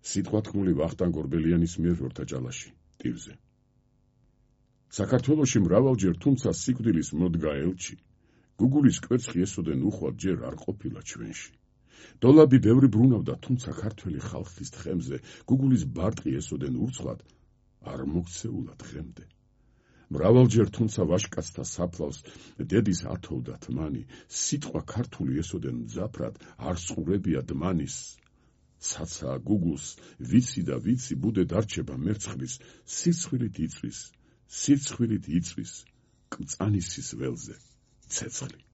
სიტყვა თქმული ვახტანგ ორბელიანის მიერ ვორთაჭალაში, ტირზე. საქართველოში მრავალჯერ, თუმცა სიკვდილის მოდგა ელჩი, გუგულის კვერცხი ესოდენ უხვად ჯერ არ ყოფილა ჩვენში. დოლაბი ბევრი ბრუნავდა, თუმცა ქართველი ხალხის თხემზე, გუგულის ბარტყი ესოდენ ურცხვად, არ მოქცეულა დღემდე. მრავალჯერ, თუმცა ვაშკაცთა საფლავს დედის ათოვდა თმანი, სიტყვა ქართული ესოდენ მძაფრად, არ სყურებია დმანის. ცაცაა გუგულს, ვიცი და ვიცი, ბუდე დარჩება მერცხლის, სირცხვილით იწვის, კრწანისის ველზე ცეცხლი.